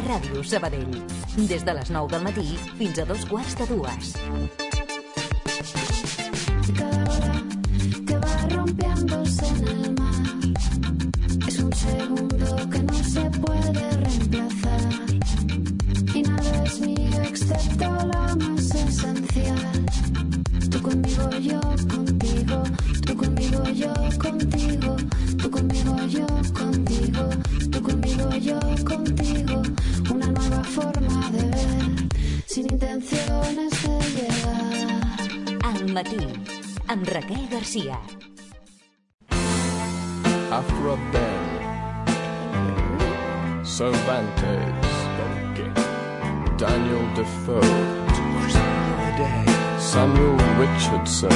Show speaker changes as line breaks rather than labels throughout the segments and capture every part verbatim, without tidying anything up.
Ràdio Sabadell. Des de les nou del matí fins a dos quarts de dues.
Cada hora que va rompiéndose en el mar es un segundo que no se puede reemplazar y nada es mío excepto la más esencial. Tú conmigo, yo contigo, tú conmigo, yo contigo, tú conmigo, yo contigo, tú conmigo, yo contigo, una nueva forma de ver, sin intenciones de llegar.
Al matí, amb Raquel Garcia.
Afro Ben, Cervantes, Daniel Defoe, Samuel Richardson,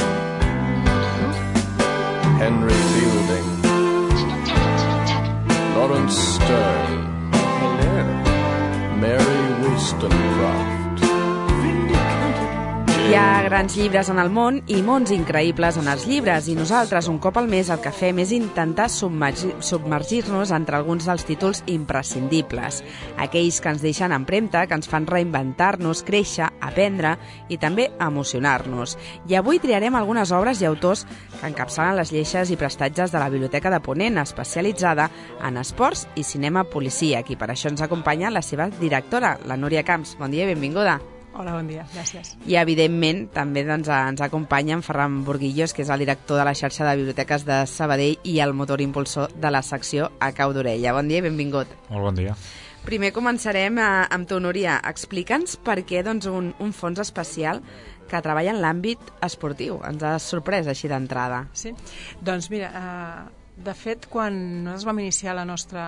Henry Fielding, Lawrence Stern, Mary Wollstonecraft.
Hi ha grans llibres en el món i mons increïbles en els llibres, i nosaltres un cop al mes el que fem és intentar submergir-nos entre alguns dels títols imprescindibles, aquells que ens deixen empremta, que ens fan reinventar-nos, créixer, aprendre i també emocionar-nos. I avui triarem algunes obres i autors que encapçalen les lleixes i prestatges de la Biblioteca de Ponent, especialitzada en esports i cinema policíac, i per això ens acompanya la seva directora, la Núria Camps. Bon dia i benvinguda.
Hola, bon dia, gràcies.
I, evidentment, també doncs, ens acompanya en Ferran Burguillos, que és el director de la xarxa de biblioteques de Sabadell i el motor impulsor de la secció A Cau d'Orella. Bon dia i benvingut.
Molt bon dia.
Primer començarem a, amb tu, Núria. Explica'ns per què doncs, un, un fons especial que treballa en l'àmbit esportiu. Ens ha sorprès així d'entrada.
Sí? Doncs mira, eh, de fet, quan nosaltres vam iniciar la nostra,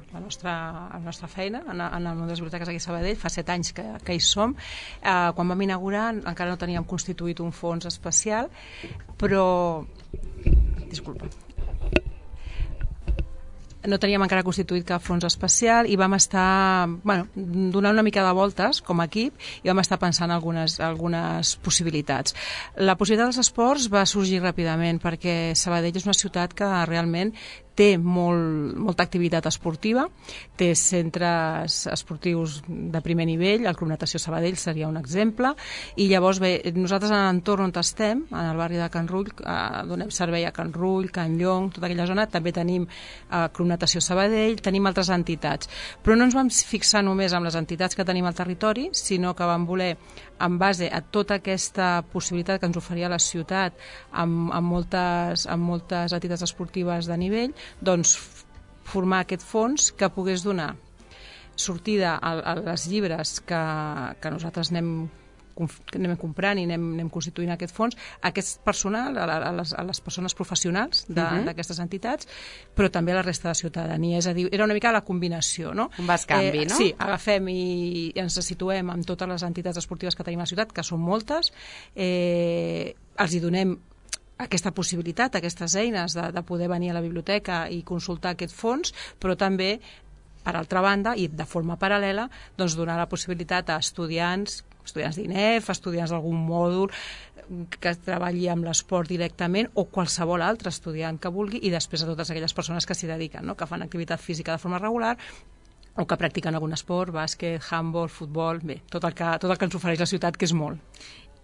la nostra, la nostra feina en, en el món de les biblioteques aquí a Sabadell, fa set anys que, que hi som, eh, quan vam inaugurar encara no teníem constituït un fons especial, però... Disculpa. No teníem encara constituït cap fons especial i vam estar bueno, donant una mica de voltes com a equip i vam estar pensant algunes, algunes possibilitats. La possibilitat dels esports va sorgir ràpidament perquè Sabadell és una ciutat que realment té molt, molta activitat esportiva, té centres esportius de primer nivell, el Club Natació Sabadell seria un exemple, i llavors bé, nosaltres en l'entorn on estem, en el barri de Can Rull, eh, donem servei a Can Rull, Can Llong, tota aquella zona, també tenim eh, Club Natació Sabadell, tenim altres entitats, però no ens vam fixar només en les entitats que tenim al territori, sinó que vam voler, en base a tota aquesta possibilitat que ens oferia la ciutat amb, amb, moltes, amb moltes entitats esportives de nivell, doncs formar aquest fons que pogués donar sortida a, a les llibres que, que nosaltres anem, que anem comprant i anem, anem constituint aquest fons, a aquest personal, a, a, les, a les persones professionals d'aquestes uh-huh. entitats, però també a la resta de ciutadania. És a dir, era una mica la combinació, no?
Un bascanvi, eh, no?
Sí, agafem i, i ens situem amb totes les entitats esportives que tenim a la ciutat, que són moltes, eh, els hi donem aquesta possibilitat, aquestes eines de, de poder venir a la biblioteca i consultar aquest fons, però també, per altra banda, i de forma paral·lela, doncs donar la possibilitat a estudiants, estudiants d'I N E F, estudiants d'algun mòdul que treballi amb l'esport directament o qualsevol altre estudiant que vulgui, i després a totes aquelles persones que s'hi dediquen, no? Que fan activitat física de forma regular o que practiquen algun esport, bàsquet, handball, futbol, bé, tot el que, tot el que ens ofereix la ciutat, que és molt.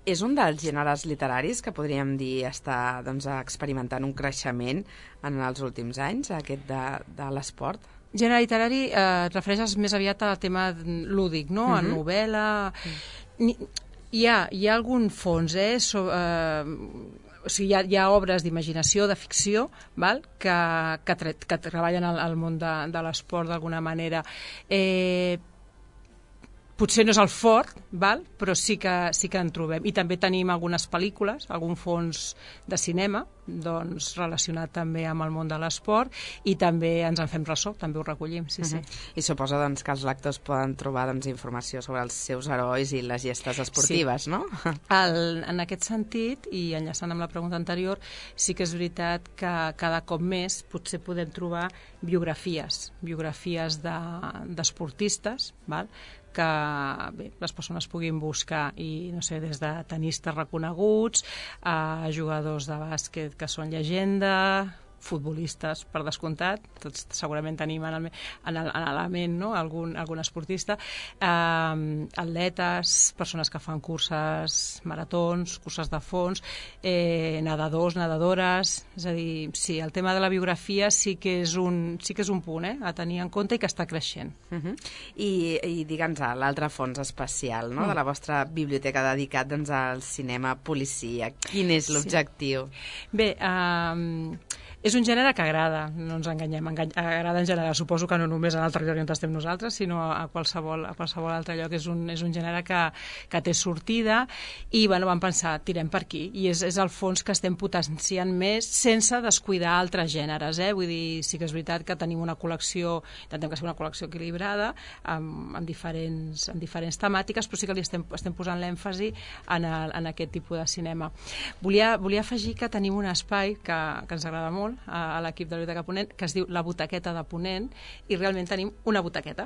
És un dels gèneres literaris que podríem dir està doncs, experimentant un creixement en els últims anys, aquest de, de l'esport?
Gènere literari eh, et refereixes més aviat al tema lúdic, no? Uh-huh. A novel·la... Uh-huh. Hi ha, hi ha algun fons, eh? So, eh o sigui, hi ha, hi ha obres d'imaginació, de ficció, val? Que, que, tre que treballen al, al món de, de l'esport d'alguna manera. Eh, potser no és el fort, val? Però sí que, sí que en trobem. I també tenim algunes pel·lícules, algun fons de cinema, doncs, relacionat també amb el món de l'esport, i també ens en fem ressò, també ho recollim, sí, uh-huh. sí.
I suposo doncs, que els lectors poden trobar doncs, informació sobre els seus herois i les gestes esportives,
sí.
no?
El, en aquest sentit, i enllaçant amb la pregunta anterior, sí que és veritat que cada cop més potser podem trobar biografies, biografies d'esportistes, de, val? Que bé, les persones puguin buscar i, no sé, des de tenistes reconeguts a jugadors de bàsquet que són llegenda, futbolistes, per descomptat, tots segurament tenim en el, en el, en la ment, no? algun, algun esportista, eh, atletes, persones que fan curses, maratons, curses de fons, eh, nedadors, nedadores, és a dir, sí, el tema de la biografia sí que és un, sí que és un punt eh, a tenir en compte i que està creixent.
Uh -huh. I, i digue'ns, l'altre fons especial no? mm. de la vostra biblioteca dedicat doncs, al cinema policíac. Quin és l'objectiu?
Sí. Bé, eh, és un gènere que agrada, no ens enganyem, engany, agrada en general, suposo que no només en el territori on estem nosaltres, sinó a qualsevol, a qualsevol altre lloc. És un, és un gènere que, que té sortida i bueno, vam pensar, tirem per aquí, i és, és el fons que estem potenciant més sense descuidar altres gèneres. Eh? Vull dir, sí que és veritat que tenim una col·lecció, intentem que sigui una col·lecció equilibrada, amb, amb, diferents, amb diferents temàtiques, però sí que li estem, estem posant l'èmfasi en, el, en aquest tipus de cinema. Volia, volia afegir que tenim un espai que, que ens agrada molt, a l'equip de la Biblioteca Ponent, que es diu la Butaqueta de Ponent, i realment tenim una butaqueta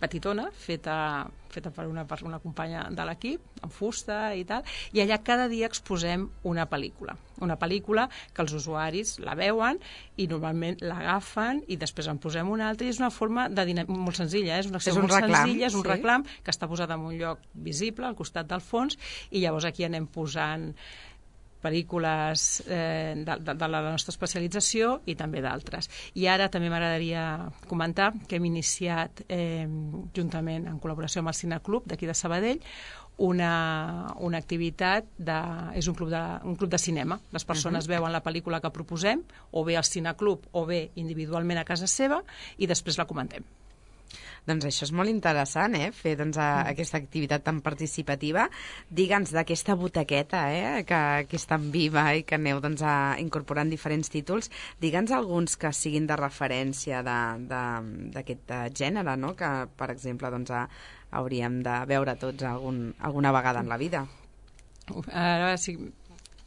petitona, feta, feta per una, per una companya de l'equip, amb fusta i tal, i allà cada dia exposem una pel·lícula. Una pel·lícula que els usuaris la veuen i normalment l'agafen i després en posem una altra, i és una forma de dinam... molt senzilla, eh? és una acció
és un
molt
reclam,
senzilla, és un
sí.
reclam que està posat en un lloc visible, al costat del fons, i llavors aquí anem posant pel·lícules eh, de, de, de la nostra especialització i també d'altres. I ara també m'agradaria comentar que hem iniciat, eh, juntament en col·laboració amb el Cineclub d'aquí de Sabadell, una, una activitat, de, és un club, de, un club de cinema. Les persones uh-huh. veuen la pel·lícula que proposem, o bé al Cineclub o bé individualment a casa seva, i després la comentem.
Doncs això és molt interessant, eh? Fer doncs, a, mm. aquesta activitat tan participativa. Digue'ns d'aquesta butaqueta, eh? Que, que és tan viva i que aneu doncs, a, incorporant diferents títols. Digue'ns alguns que siguin de referència d'aquest gènere, no? Que, per exemple, doncs, a, hauríem de veure tots algun, alguna vegada en la vida.
Ara sí...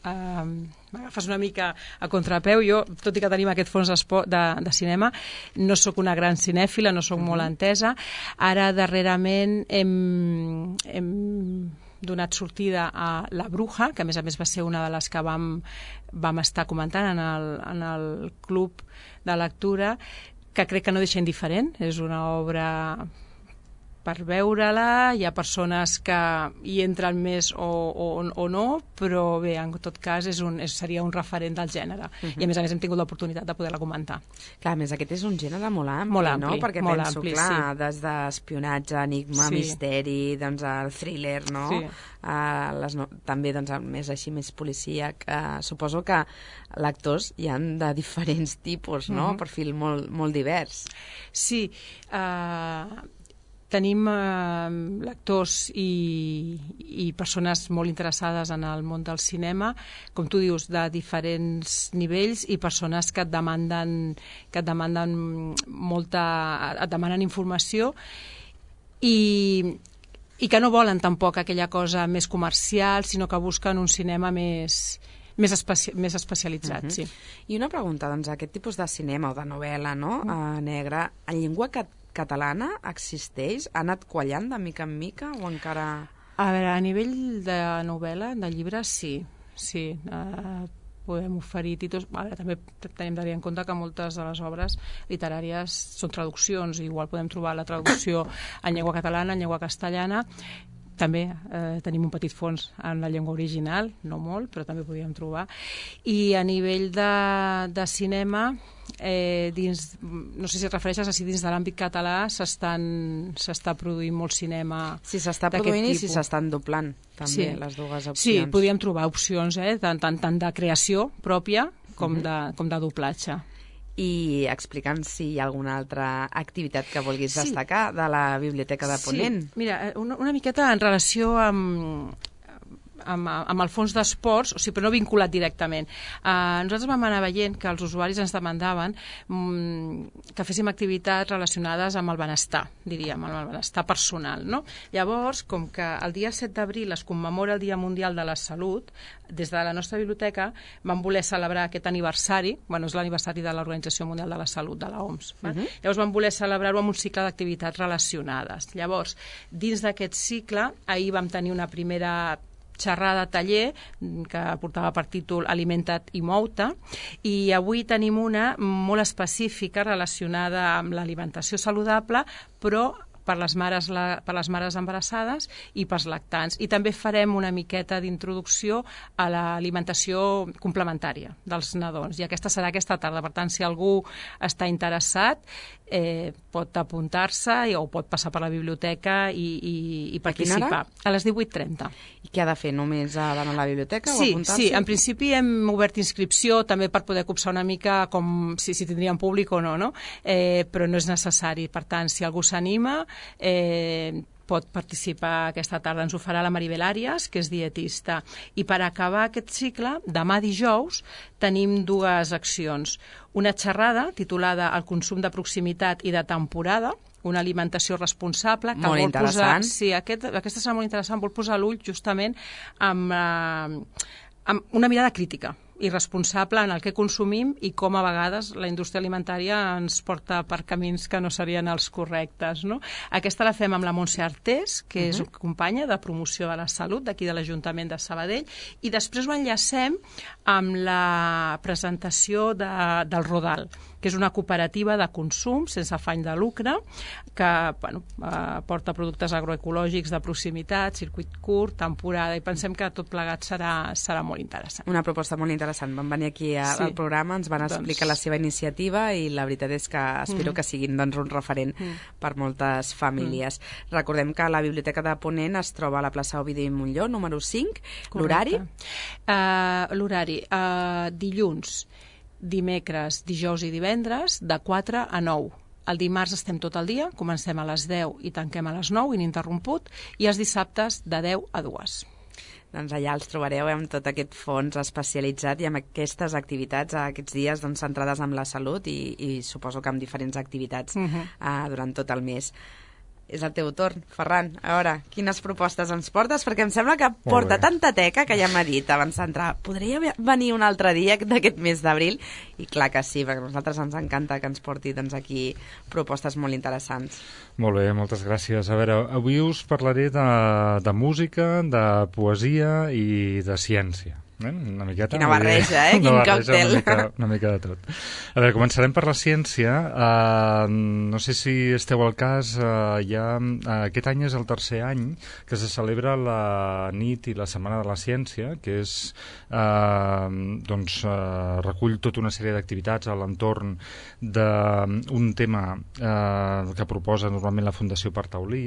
Uh, m'agafes una mica a contrapeu. Jo, tot i que tenim aquest fons de, de cinema, no sóc una gran cinèfila, no sóc uh-huh. molt entesa. Ara, darrerament, hem, hem donat sortida a La Bruja, que a més a més va ser una de les que vam, vam estar comentant en el, en el club de lectura, que crec que no deixa indiferent. És una obra per veure-la, hi ha persones que hi entren més o, o, o no, però bé, en tot cas és un, és, seria un referent del gènere. Uh-huh. I a més a més hem tingut l'oportunitat de poder-la comentar.
Clar, a més aquest és un gènere molt ampli,
molt ampli
no? Perquè
molt
penso,
ampli,
clar,
sí.
des d'espionatge, enigma, sí. misteri, doncs el thriller, no?
Sí.
Uh, les no... També, doncs, més així, més policíac. Uh, suposo que lectors hi han de diferents tipus, no? Uh-huh. Perfil molt, molt divers.
Sí, uh... tenim eh, lectors i, i persones molt interessades en el món del cinema, com tu dius, de diferents nivells, i persones que et demanden, que et demanden molta, et demanen informació i, i que no volen tampoc aquella cosa més comercial, sinó que busquen un cinema més... Més, especi més especialitzat, uh-huh. sí.
I una pregunta, doncs, aquest tipus de cinema o de novel·la, no?, uh-huh. uh, negra, en llengua cat catalana existeix? Ha anat quallant de mica en mica o encara...?
A veure, a nivell de novel·la, de llibres, sí. Sí, uh, podem oferir títols... A veure, també tenim de tenir en compte que moltes de les obres literàries són traduccions, igual podem trobar la traducció en llengua catalana, en llengua castellana. També eh, tenim un petit fons en la llengua original, no molt, però també podíem trobar. I a nivell de, de cinema, eh, dins, no sé si et refereixes a si dins de l'àmbit català s'està produint molt cinema.
Si s'està produint i si s'estan doblant, també, sí. les dues opcions.
Sí, podíem trobar opcions, eh, tant, tant, tant de creació pròpia com, uh-huh. de, com de doblatge.
I explica'ns si hi ha alguna altra activitat que vulguis sí. destacar de la Biblioteca de Ponent.
Sí, mira, una, una miqueta en relació amb, amb, amb el fons d'esports, o sigui, però no vinculat directament. Uh, nosaltres vam anar veient que els usuaris ens demandaven um, que féssim activitats relacionades amb el benestar, diríem, amb el benestar personal, no? Llavors, com que el dia set d'abril es commemora el Dia Mundial de la Salut, des de la nostra biblioteca vam voler celebrar aquest aniversari, bueno, és l'aniversari de l'Organització Mundial de la Salut, de l'O M S. Uh-huh. Llavors vam voler celebrar-ho amb un cicle d'activitats relacionades. Llavors, dins d'aquest cicle, ahir vam tenir una primera xerrada taller que portava per títol Alimenta't i mou-te, i avui tenim una molt específica relacionada amb l'alimentació saludable, però per les mares, la, per les mares embarassades i pels lactants. I també farem una miqueta d'introducció a l'alimentació complementària dels nadons. I aquesta serà aquesta tarda. Per tant, si algú està interessat, eh, pot apuntar-se o pot passar per la biblioteca i, i, i participar. A, a les divuit trenta.
I què ha de fer? Només ha d'anar a la biblioteca
sí,
o apuntar-se?
Sí, en principi hem obert inscripció també per poder copsar una mica com si, si tindríem públic o no, no? Eh, però no és necessari. Per tant, si algú s'anima, Eh, pot participar aquesta tarda. Ens ho farà la Maribel Àrias, que és dietista. I per acabar aquest cicle, demà dijous, tenim dues accions. Una xerrada titulada El consum de proximitat i de temporada, una alimentació responsable. Que
molt
vol
interessant.
Posar, sí, aquest, aquesta serà molt interessant. Vol posar l'ull justament amb, eh, amb una mirada crítica i responsable en el que consumim i com a vegades la indústria alimentària ens porta per camins que no serien els correctes, no? Aquesta la fem amb la Montse Artés, que uh-huh. és una companya de promoció de la salut d'aquí de l'Ajuntament de Sabadell, i després ho enllacem amb la presentació de, del Rodal, que és una cooperativa de consum sense afany de lucre, que bueno, eh, porta productes agroecològics de proximitat, circuit curt, temporada, i pensem que tot plegat serà, serà molt interessant.
Una proposta molt interessant. Van venir aquí a, sí. al programa, ens van explicar doncs... la seva iniciativa i la veritat és que espero mm. que siguin doncs, un referent mm. per moltes famílies. Mm. Recordem que la Biblioteca de Ponent es troba a la plaça Ovidi Montllor, número cinc. L'horari?
Uh, L'horari, uh, dilluns, dimecres, dijous i divendres, de quatre a nou. El dimarts estem tot el dia, comencem a les deu i tanquem a les nou, ininterromput, i els dissabtes de deu a dues.
Doncs allà els trobareu amb tot aquest fons especialitzat i amb aquestes activitats aquests dies doncs, centrades en la salut i, i suposo que amb diferents activitats uh-huh. uh, durant tot el mes. És el teu torn, Ferran. A veure, quines propostes ens portes? Perquè em sembla que porta tanta teca que ja m'ha dit abans d'entrar. Podria venir un altre dia d'aquest mes d'abril? I clar que sí, perquè a nosaltres ens encanta que ens porti doncs, aquí propostes molt interessants.
Molt bé, moltes gràcies. A veure, avui us parlaré de, de música, de poesia i de ciència. Eh? Una miqueta,
Quina barreja, eh? Quin còctel.
Una mica, una mica de tot. A veure, començarem per la ciència. Uh, no sé si esteu al cas, uh, ja, uh, aquest any és el tercer any que se celebra la nit i la setmana de la ciència, que és, uh, doncs, uh, recull tota una sèrie d'activitats a l'entorn d'un tema uh, que proposa normalment la Fundació Partaulí.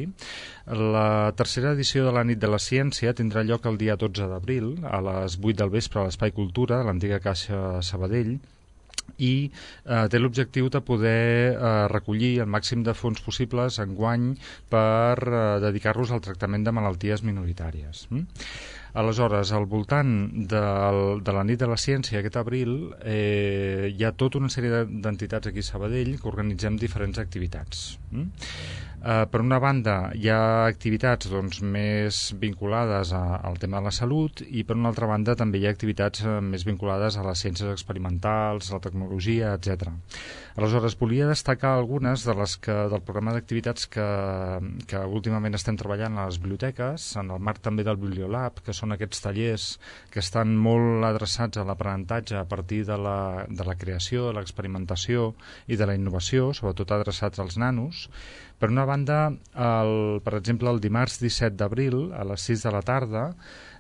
La tercera edició de la nit de la ciència tindrà lloc el dia dotze d'abril a les vuit del vespre a l'Espai Cultura, a l'antiga Caixa Sabadell, i eh, té l'objectiu de poder eh, recollir el màxim de fons possibles enguany per eh, dedicar-los al tractament de malalties minoritàries. Mm? Aleshores, al voltant del, de la nit de la ciència aquest abril eh, hi ha tota una sèrie d'entitats aquí a Sabadell que organitzem diferents activitats. Mm? Uh, per una banda, hi ha activitats doncs, més vinculades a, al tema de la salut i per una altra banda també hi ha activitats uh, més vinculades a les ciències experimentals, a la tecnologia, etcètera. Aleshores, volia destacar algunes de les que, del programa d'activitats que, que últimament estem treballant a les biblioteques, en el marc també del Bibliolab, que són aquests tallers que estan molt adreçats a l'aprenentatge a partir de la, de la creació, de l'experimentació i de la innovació, sobretot adreçats als nanos. Per una banda, el, per exemple, el dimarts disset d'abril, a les sis de la tarda,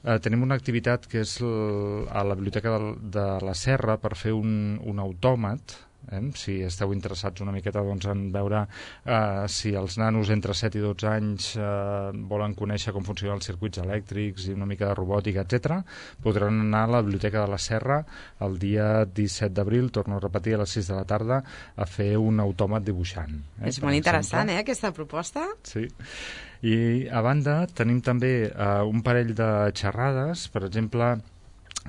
eh, tenim una activitat que és l, a la Biblioteca de, de la Serra per fer un, un autòmat. Eh? Si esteu interessats una miqueta doncs, en veure eh, si els nanos entre set i dotze anys eh, volen conèixer com funcionen els circuits elèctrics i una mica de robòtica, etcètera, podran anar a la Biblioteca de la Serra el dia disset d'abril, torno a repetir, a les sis de la tarda, a fer un autòmat dibuixant. Eh,
és molt interessant, eh, aquesta proposta.
Sí. I, a banda, tenim també eh, un parell de xerrades, per exemple,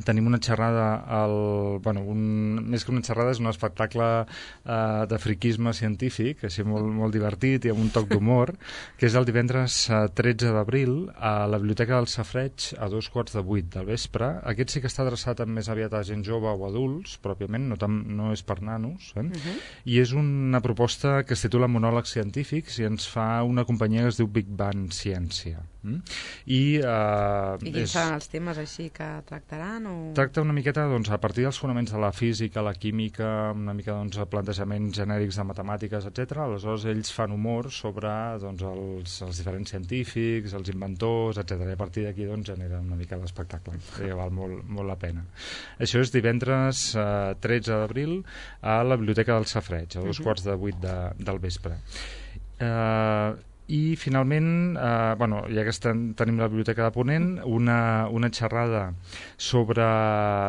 tenim una xerrada, al, bueno, un, més que una xerrada és un espectacle eh, de friquisme científic, així molt, molt divertit i amb un toc d'humor, que és el divendres eh, tretze d'abril a la Biblioteca del Safareig a dos quarts de vuit del vespre. Aquest sí que està adreçat més aviat a gent jove o adults, pròpiament, no, tam, no és per nanos, eh? Uh-huh. I és una proposta que es titula Monòlegs científics i ens fa una companyia que es diu Big Bang Ciència. Mm? I, eh,
I quins
és...
seran els temes així que tractaran? O...
Tracta una miqueta doncs, a partir dels fonaments de la física, la química, una mica doncs, plantejaments genèrics de matemàtiques, etcètera. Aleshores ells fan humor sobre doncs, els, els diferents científics, els inventors, etcètera. I a partir d'aquí doncs, genera una mica l'espectacle, que val molt, molt la pena. Això és divendres eh, tretze d'abril a la Biblioteca del Safareig, a dos uh-huh. quarts de vuit de, del vespre. Eh... I, finalment, eh, bueno, ja que estem, tenim la Biblioteca de Ponent, una, una xerrada sobre,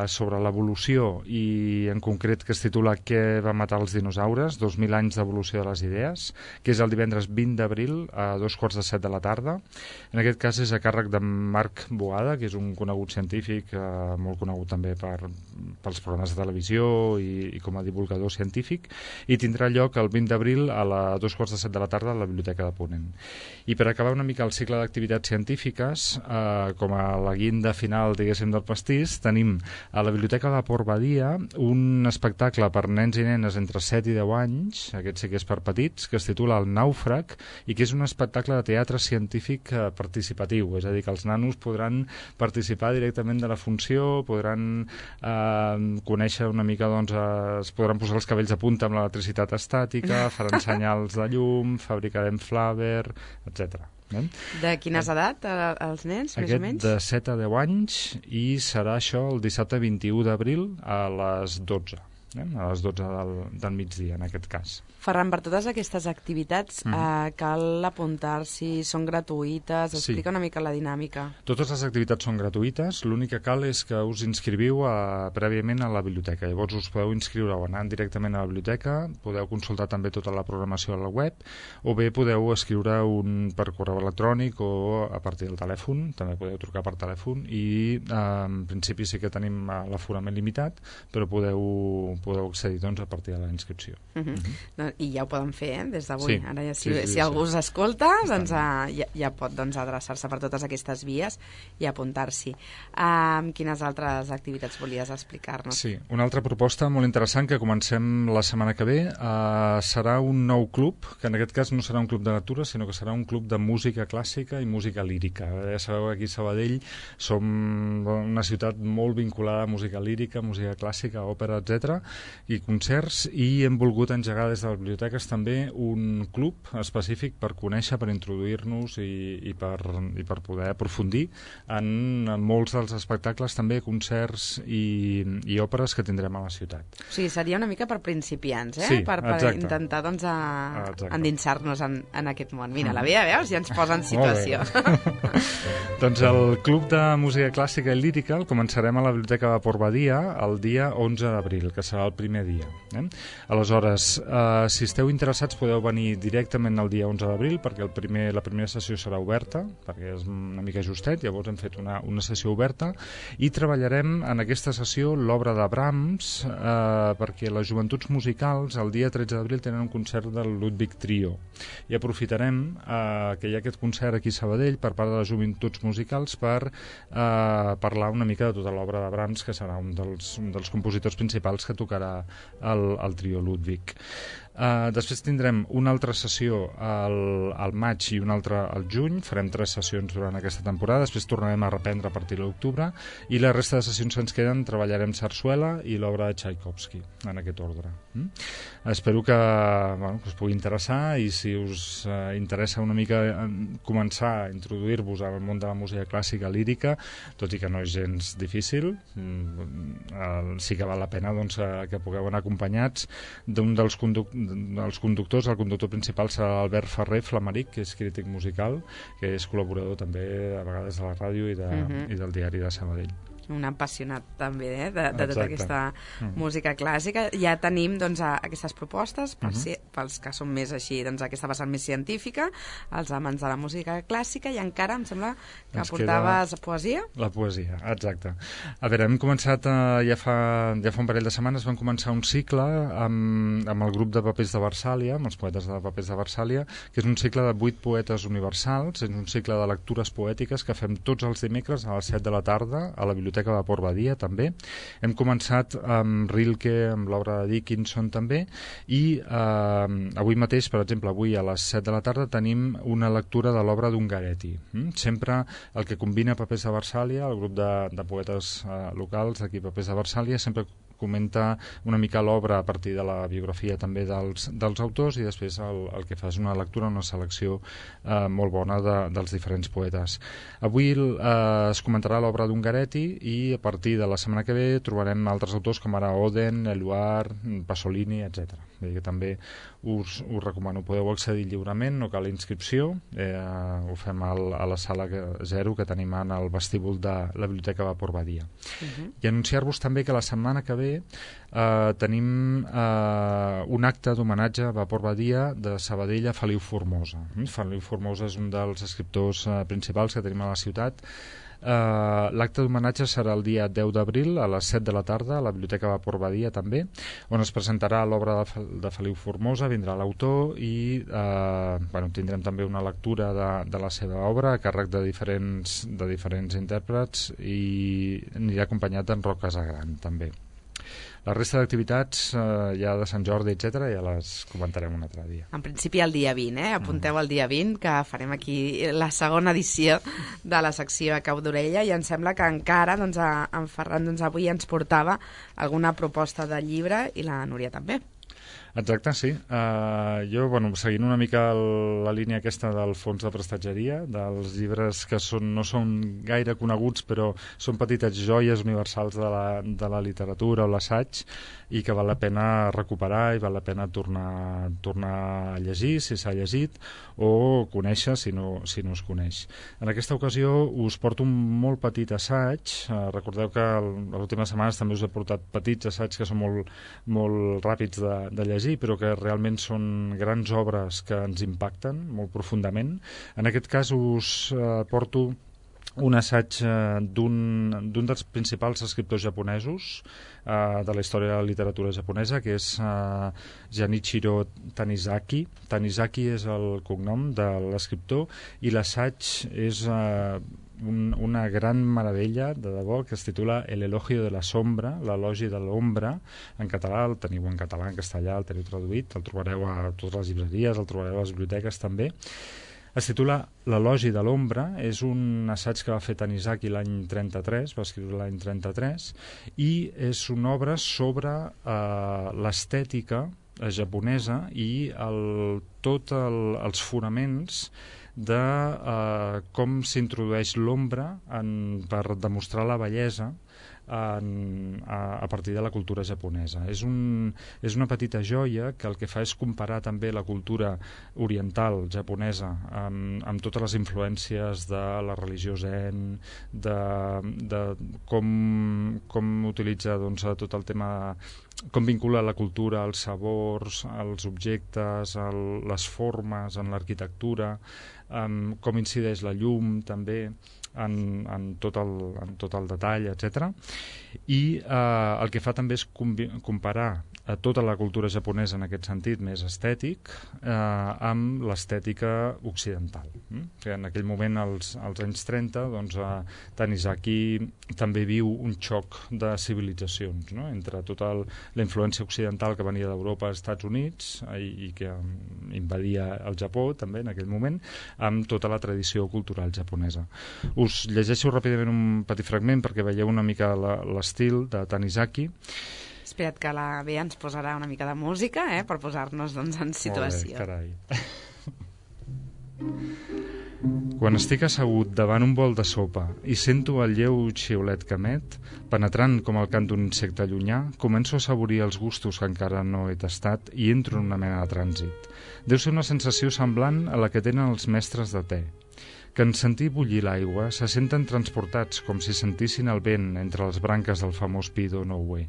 sobre l'evolució i, en concret, que es titula Què va matar els dinosaures? dos mil anys d'evolució de les idees, que és el divendres vint d'abril a dos quarts de set de la tarda. En aquest cas és a càrrec de Marc Boada, que és un conegut científic, eh, molt conegut també per, pels programes de televisió i, i com a divulgador científic, i tindrà lloc el vint d'abril a la dos quarts de set de la tarda a la Biblioteca de Ponent. I per acabar una mica el cicle d'activitats científiques, eh, com a la guinda final, diguéssim, del pastís, tenim a la Biblioteca de Port Badia un espectacle per nens i nenes entre set i deu anys, aquest sí que és per petits, que es titula El nàufrag, i que és un espectacle de teatre científic eh, participatiu, és a dir, que els nanos podran participar directament de la funció, podran eh, conèixer una mica, doncs, eh, es podran posar els cabells a punta amb l'electricitat estàtica, faran senyals de llum, fabricarem flaver, etcètera. Eh?
De quines edat, els nens,
Aquest
més o menys?
de set a deu anys, i serà això el dissabte vint-i-u d'abril a les dotze. Eh? A les dotze del, del migdia, en aquest cas.
Ferran, per totes aquestes activitats mm. eh, cal apuntar-s'hi, són gratuïtes, explica sí. una mica la dinàmica.
Totes les activitats són gratuïtes, l'únic que cal és que us inscriviu a, prèviament a la biblioteca. Llavors us podeu inscriure o anant directament a la biblioteca, podeu consultar també tota la programació a la web, o bé podeu escriure un per correu electrònic o a partir del telèfon, també podeu trucar per telèfon, i eh, en principi sí que tenim l'aforament limitat, però podeu, podeu accedir doncs, a partir de la inscripció. Uh-huh.
Uh-huh. I ja ho poden fer, eh, des d'avui.
Sí,
Ara ja, si,
sí, sí,
si
sí,
algú
sí.
us escolta, doncs, uh, ja, ja pot doncs, adreçar-se per totes aquestes vies i apuntar-s'hi. Uh, quines altres activitats volies explicar-nos?
Sí, una altra proposta molt interessant que comencem la setmana que ve uh, serà un nou club, que en aquest cas no serà un club de lectura, sinó que serà un club de música clàssica i música lírica. Ja sabeu que aquí a Sabadell som una ciutat molt vinculada a música lírica, música clàssica, òpera, etcètera, i concerts, i hem volgut engegar des de les biblioteques també un club específic per conèixer, per introduir-nos i, i, per, i per poder aprofundir en molts dels espectacles, també concerts i, i òperes que tindrem a la ciutat.
O sigui, seria una mica per principiants, eh?
Sí,
per, per
exacte.
intentar doncs, a,
Exacte.
endinsar-nos en, en aquest món. Mira, la Bea, veus? Ja ens posa en situació.
Doncs el Club de Música Clàssica i Lírica el començarem a la Biblioteca de Port Badia el dia onze d'abril, que serà el primer dia. Eh? Aleshores, eh, si esteu interessats podeu venir directament el dia onze d'abril, perquè el primer, la primera sessió serà oberta, perquè és una mica justet, llavors hem fet una, una sessió oberta, i treballarem en aquesta sessió l'obra de Brahms, eh, perquè les joventuts musicals el dia tretze d'abril tenen un concert del Ludwig Trio, i aprofitarem eh, que hi ha aquest concert aquí a Sabadell per part de les joventuts musicals per eh, parlar una mica de tota l'obra de Brahms, que serà un dels, un dels compositors principals que tocarà el, el trio Ludwig. Uh, després tindrem una altra sessió al, al maig i una altra al juny, farem tres sessions durant aquesta temporada, després tornarem a reprendre a partir de l'octubre, i la resta de sessions que ens queden treballarem Sarsuela i l'obra de Tchaikovsky, en aquest ordre. Mm? Espero que, bueno, que us pugui interessar, i si us uh, interessa una mica començar a introduir-vos al món de la música clàssica lírica, tot i que no és gens difícil, mm, uh, sí que val la pena doncs, uh, que pugueu anar acompanyats d'un dels conductors dels conductors. El conductor principal serà Albert Ferrer Flamaric, que és crític musical, que és col·laborador també a vegades de la ràdio i, de, uh-huh. i del diari de Sabadell.
un apassionat també eh, de, de tota
Exacte.
aquesta
Mm.
música clàssica. Ja tenim doncs, a, aquestes propostes per
Mhm.
si, pels que són més així, doncs, aquesta vessant més científica, els amants de la música clàssica, i encara em sembla que
Ens
aportaves poesia.
La poesia, exacte. A veure, hem començat, eh, ja, fa, ja fa un parell de setmanes, vam començar un cicle amb, amb el grup de papers de Versàlia, amb els poetes de papers de Versàlia, que és un cicle de vuit poetes universals, és un cicle de lectures poètiques que fem tots els dimecres a les set de la tarda a la Biblioteca de Port Badia, també. Hem començat amb Rilke, amb l'obra de Dickinson, també, i eh, avui mateix, per exemple, avui a les set de la tarda tenim una lectura de l'obra d'Ungaretti. Mm? Sempre el que combina Papers de Versàlia, el grup de, de poetes eh, locals aquí Papers de Versàlia, sempre comenta una mica l'obra a partir de la biografia també dels, dels autors, i després el, el que fa és una lectura, una selecció eh, molt bona de, dels diferents poetes. Avui eh, es comentarà l'obra d'Ungaretti, i a partir de la setmana que ve trobarem altres autors com ara Oden, Eluard, Pasolini, etcètera. Vull dir que també us, us recomano, podeu accedir lliurement, no cal inscripció, eh, ho fem al, a la sala que, zero que tenim en el vestíbul de la Biblioteca de Port Badia.
Uh-huh.
I anunciar-vos també que la setmana que ve eh, tenim eh, un acte d'homenatge a Port Badia de Sabadell a Feliu Formosa. Mm? Feliu Formosa és un dels escriptors eh, principals que tenim a la ciutat. Uh, l'acte d'homenatge serà el dia deu d'abril a les set de la tarda a la Biblioteca de Port Badia també, on es presentarà l'obra de, Fe de Feliu Formosa, vindrà l'autor i uh, bueno, tindrem també una lectura de, de la seva obra a càrrec de diferents, de diferents intèrprets, i anirà acompanyat d'en Roc Casagran també. La resta d'activitats eh, ja de Sant Jordi, etcètera, ja les comentarem un altre dia.
En principi el dia vint, eh? Apunteu el dia vint, que farem aquí la segona edició de la secció a Cau d'Orella, i em sembla que encara doncs, a, en Ferran doncs, avui ens portava alguna proposta de llibre, i la Núria també.
Exacte, sí. Uh, jo, bueno, seguint una mica el, la línia aquesta del fons de prestatgeria, dels llibres que són, no són gaire coneguts, però són petites joies universals de la, de la literatura o l'assaig, i que val la pena recuperar i val la pena tornar, tornar a llegir, si s'ha llegit, o conèixer, si no, si no es coneix. En aquesta ocasió us porto un molt petit assaig. Uh, recordeu que el, les últimes setmanes també us he portat petits assaigs que són molt, molt ràpids de, de llegir, però que realment són grans obres que ens impacten molt profundament. En aquest cas us eh, porto un assaig eh, d'un dels principals escriptors japonesos eh, de la història de la literatura japonesa, que és eh, Janichiro Tanizaki. Tanizaki és el cognom de l'escriptor, i l'assaig és eh, un, una gran meravella, de debò, que es titula El elogio de la sombra, l'elogi de l'ombra. En català, el teniu en català, en castellà, el teniu traduït, el trobareu a totes les llibreries, el trobareu a les biblioteques també. Es titula L'elogi de l'ombra, és un assaig que va fer Tanizaki l'any trenta-tres, va escriure l'any trenta-tres, i és una obra sobre eh, l'estètica japonesa i el, tot el, els fonaments de eh, com s'introdueix l'ombra per demostrar la bellesa en, a, a partir de la cultura japonesa. És, un, és una petita joia que el que fa és comparar també la cultura oriental japonesa amb, amb totes les influències de la religió zen, de, de com, com utilitza doncs, tot el tema, com vincula la cultura als sabors, als objectes, el, les formes, en l'arquitectura, um, com incideix la llum també en, en, tot, el, en tot el detall, etcètera. I eh, el que fa també és comparar a tota la cultura japonesa en aquest sentit més estètic eh, amb l'estètica occidental. Mm? Que en aquell moment, als, als anys trenta, doncs, eh, Tanizaki també viu un xoc de civilitzacions, no? Entre tota el, la influència occidental que venia d'Europa als Estats Units eh, i que invadia el Japó també en aquell moment, amb tota la tradició cultural japonesa. Us llegeixo ràpidament un petit fragment perquè veieu una mica l'estil de Tanizaki.
Espera't que la Bea ens posarà una mica de música, eh, per posar-nos doncs, en situació.
Molt bé, carai. Quan estic assegut davant un bol de sopa i sento el lleu xiulet que emet, penetrant com el cant d'un insecte llunyà, començo a saborir els gustos que encara no he tastat i entro en una mena de trànsit. Deu ser una sensació semblant a la que tenen els mestres de te, que en sentir bullir l'aigua se senten transportats com si sentissin el vent entre les branques del famós Pido no Ue.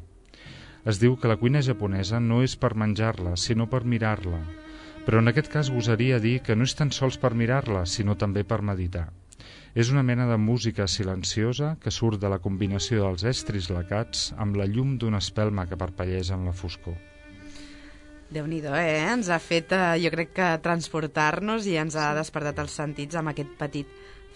Es diu que la cuina japonesa no és per menjar-la, sinó per mirar-la. Però en aquest cas gosaria dir que no és tan sols per mirar-la, sinó també per meditar. És una mena de música silenciosa que surt de la combinació dels estris lacats amb la llum d'una espelma que parpellesa en la foscor.
Déu-n'hi-do, eh? Ens ha fet, eh, jo crec que transportar-nos i ens ha despertat els sentits amb aquest petit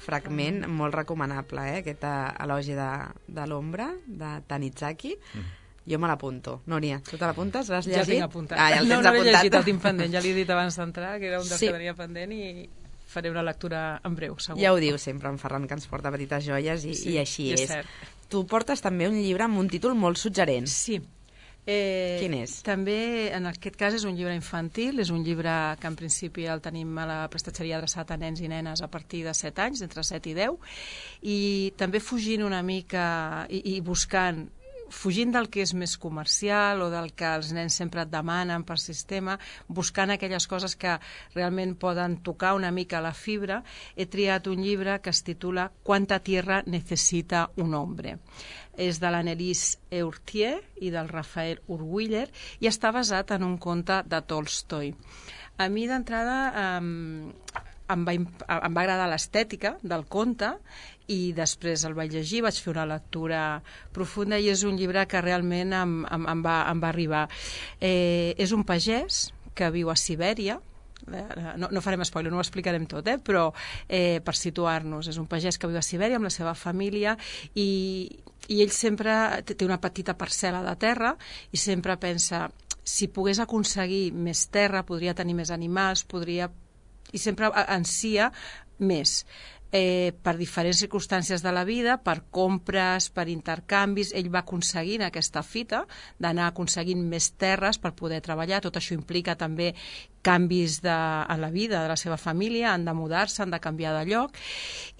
fragment molt recomanable, eh? Aquest elogi de, de l'ombra, de Tanizaki. Mm. Jo me l'apunto. Núria, tu te l'apuntes? L'has llegit?
Ja el tinc apuntat.
Ah, ja el
no,
tens
no l'he
apuntat.
llegit, el tinc pendent. Ja l'he dit abans d'entrar, que era un dels
Sí.
que tenia pendent i faré una lectura en breu, segur.
Ja ho diu sempre en Ferran, que ens porta petites joies i,
Sí,
i així
i és
és.
cert.
Tu portes també un llibre amb un títol molt suggerent.
Sí. Eh,
Quin és?
També, en aquest cas, és un llibre infantil, és un llibre que en principi el tenim a la prestatgeria adreçat a nens i nenes a partir de set anys, entre set i deu, i també fugint una mica i, i buscant fugint del que és més comercial o del que els nens sempre et demanen per sistema, buscant aquelles coses que realment poden tocar una mica la fibra, he triat un llibre que es titula Quanta tierra necesita un hombre. És de l'Annelise Eurtier i del Rafael Urwiller i està basat en un conte de Tolstoi. A mi, d'entrada, eh, em va, em va agradar l'estètica del conte i després el vaig llegir, vaig fer una lectura profunda i és un llibre que realment em, em, em, va, em va arribar. Eh, és un pagès que viu a Sibèria, no, no farem spoiler, no ho explicarem tot, eh? Però eh, per situar-nos, és un pagès que viu a Sibèria amb la seva família i, i ell sempre té una petita parcel·la de terra i sempre pensa, si pogués aconseguir més terra, podria tenir més animals, podria... i sempre ansia més. Eh, per diferents circumstàncies de la vida, per compres, per intercanvis, ell va aconseguint aquesta fita d'anar aconseguint més terres per poder treballar. Tot això implica també canvis de, en la vida de la seva família, han de mudar-se, han de canviar de lloc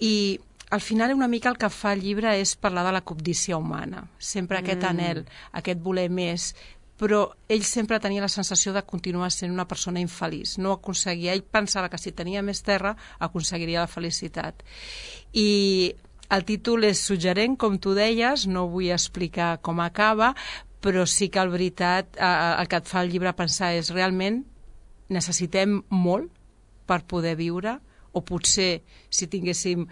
i al final una mica el que fa el llibre és parlar de la cobdícia humana, sempre aquest mm. anhel, aquest voler més, però ell sempre tenia la sensació de continuar sent una persona infeliç. No aconseguia, ell pensava que si tenia més terra aconseguiria la felicitat. I el títol és suggerent, com tu deies, no vull explicar com acaba, però sí que, en veritat, el que et fa el llibre pensar és realment necessitem molt per poder viure, o potser si tinguéssim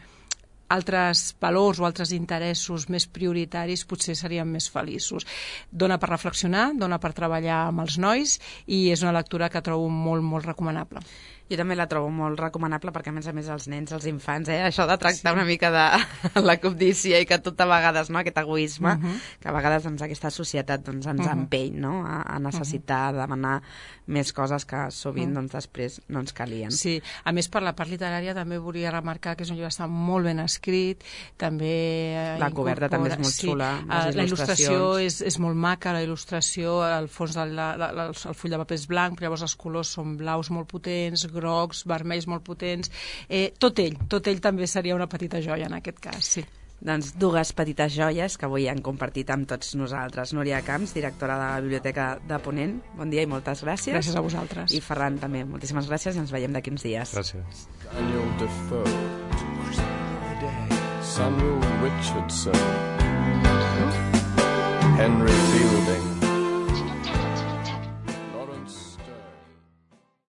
altres valors o altres interessos més prioritaris potser seríem més feliços. Dona per reflexionar, dona per treballar amb els nois i és una lectura que trobo molt, molt recomanable.
Jo també la trobo molt recomanable perquè, a més a més, els nens, els infants, eh, això de tractar sí. una mica de la cobdícia i que tot a vegades, no, aquest egoisme, uh -huh. que a vegades doncs, aquesta societat doncs, ens uh -huh. empeny, no?, a, a necessitar, uh -huh. demanar més coses que sovint uh -huh. doncs, després no ens calien.
Sí, a més, per la part literària també volia remarcar que és un llibre que està molt ben escrit, també... Eh,
la coberta també és molt
sí,
xula, les
la il·lustració
il·lustracions...
és, és molt maca, la il·lustració, al fons del la, la, la, el full de paper és blanc, però llavors els colors són blaus molt potents, grocs, vermells molt potents, eh, tot ell, tot ell també seria una petita joia en aquest cas, sí.
Doncs dues petites joies que avui han compartit amb tots nosaltres. Núria Camps, directora de la Biblioteca de Ponent, bon dia i moltes gràcies.
Gràcies a vosaltres.
I Ferran també, moltíssimes gràcies i ens veiem d'aquí uns dies.
Gràcies.
Daniel Defoe, Samuel Richardson, Henry Fielding,